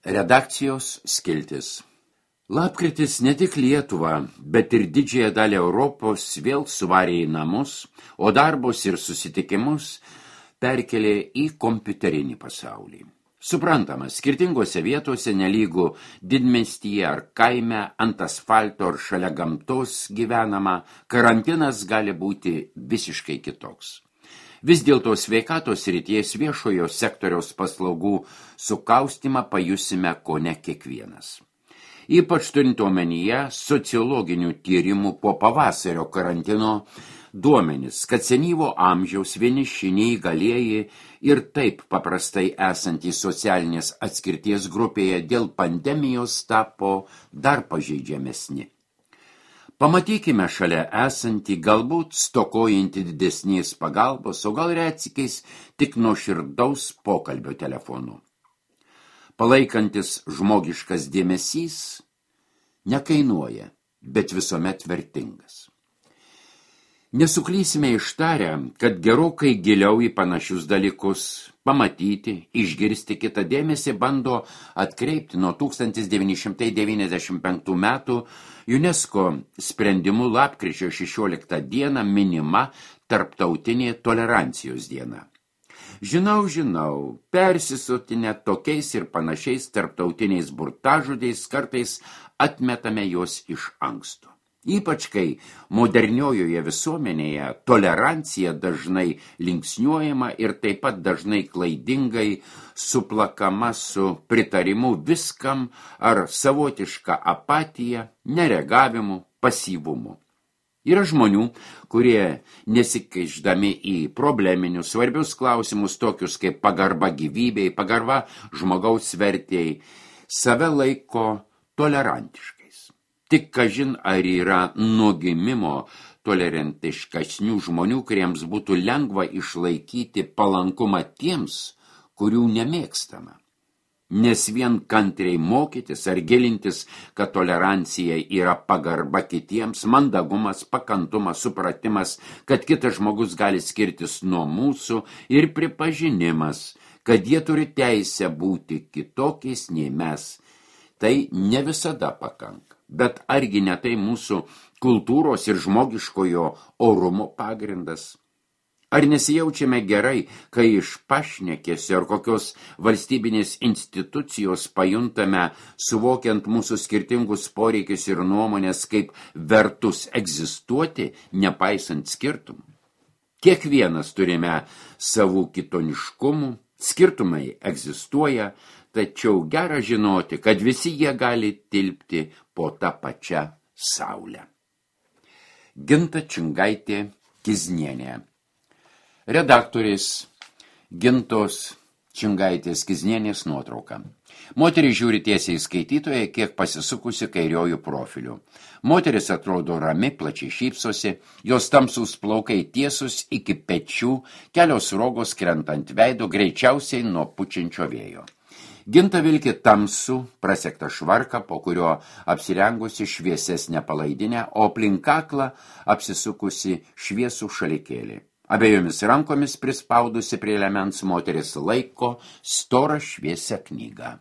Redakcijos skiltis. Lapkritis ne tik Lietuvą, bet ir didžiąją dalį Europos vėl suvarė į namus, o darbus ir susitikimus perkelė į kompiuterinį pasaulį. Suprantama, skirtingose vietose nelygų didmiestyje ar kaime, ant asfalto ar šalia gamtos gyvenama, karantinas gali būti visiškai kitoks. Vis dėlto sveikatos srities viešojo sektoriaus paslaugų sukaustimą pajusime kone kiekvienas. Ypač turint omenyje sociologinių tyrimų po pavasario karantino duomenis, kad senyvo amžiaus vieniši neįgalieji ir taip paprastai esantys socialinės atskirties grupėje dėl pandemijos tapo dar pažeidžiamesni. Pamatykime šalia esantį, galbūt stokojantį didesnės pagalbos, o gal retsykiais tik nuoširdaus pokalbio telefonu. Palaikantis žmogiškas dėmesys nekainuoja, bet visuomet vertingas. Nesuklysime ištarę, kad gerokai giliau į panašius dalykus pamatyti, išgirsti kitą dėmesį bando atkreipti nuo 1995 metų UNESCO sprendimu lapkričio 16 dieną minima Tarptautinė tolerancijos diena. Žinau, persisotinę tokiais ir panašiais tarptautiniais burtažodžiais kartais atmetame juos iš anksto. Ypač kai moderniojoje visuomenėje tolerancija dažnai linksniuojama ir taip pat dažnai klaidingai suplakama su pritarimu viskam ar savotiška apatija, nereagavimu, pasyvumu. Yra žmonių, kurie nesikeišdami į probleminius svarbius klausimus tokius kaip pagarba gyvybei, pagarba žmogaus vertėjai, save laiko tolerantiškai. Tik kažin ar yra nuo gimimo tolerantiškesnių žmonių, kuriems būtų lengva išlaikyti palankumą tiems, kurių nemėgstama. Nes vien kantriai mokytis ar gilintis, kad tolerancija yra pagarba kitiems, mandagumas, pakantumas, supratimas, kad kitas žmogus gali skirtis nuo mūsų ir pripažinimas, kad jie turi teisę būti kitokiais nei mes, tai ne visada pakanka. Bet argi ne tai mūsų kultūros ir žmogiškojo orumo pagrindas? Ar nesijaučiame gerai, kai iš pašnekesio ar kokios valstybinės institucijos pajuntame, suvokiant mūsų skirtingus poreikius ir nuomonės, kaip vertus egzistuoti, nepaisant skirtumų? Kiekvienas turime savų kitoniškumų, skirtumai egzistuoja, tačiau gera žinoti, kad visi jie gali tilpti po tą pačią saulę. Ginta Čingaitė-Kiznienė. Redaktorės Gintos Čingaitės-Kiznienės nuotrauka. Moteris žiūri tiesiai skaitytoje, kiek pasisukusi kairiojų profiliu. Moteris atrodo rami, plačiai šypsosi, jos tamsūs plaukai tiesus iki pečių, kelios rogos krentant veido, greičiausiai nuo pučiančio vėjo. Ginta vilki tamsų, prasektą švarką, po kurio apsirengusi šviesesnę palaidinę, o aplink kaklą apsisukusi šviesų šalikėlį. Abiejomis rankomis prispaudusi prie liemens moteris laiko storą šviesią knygą.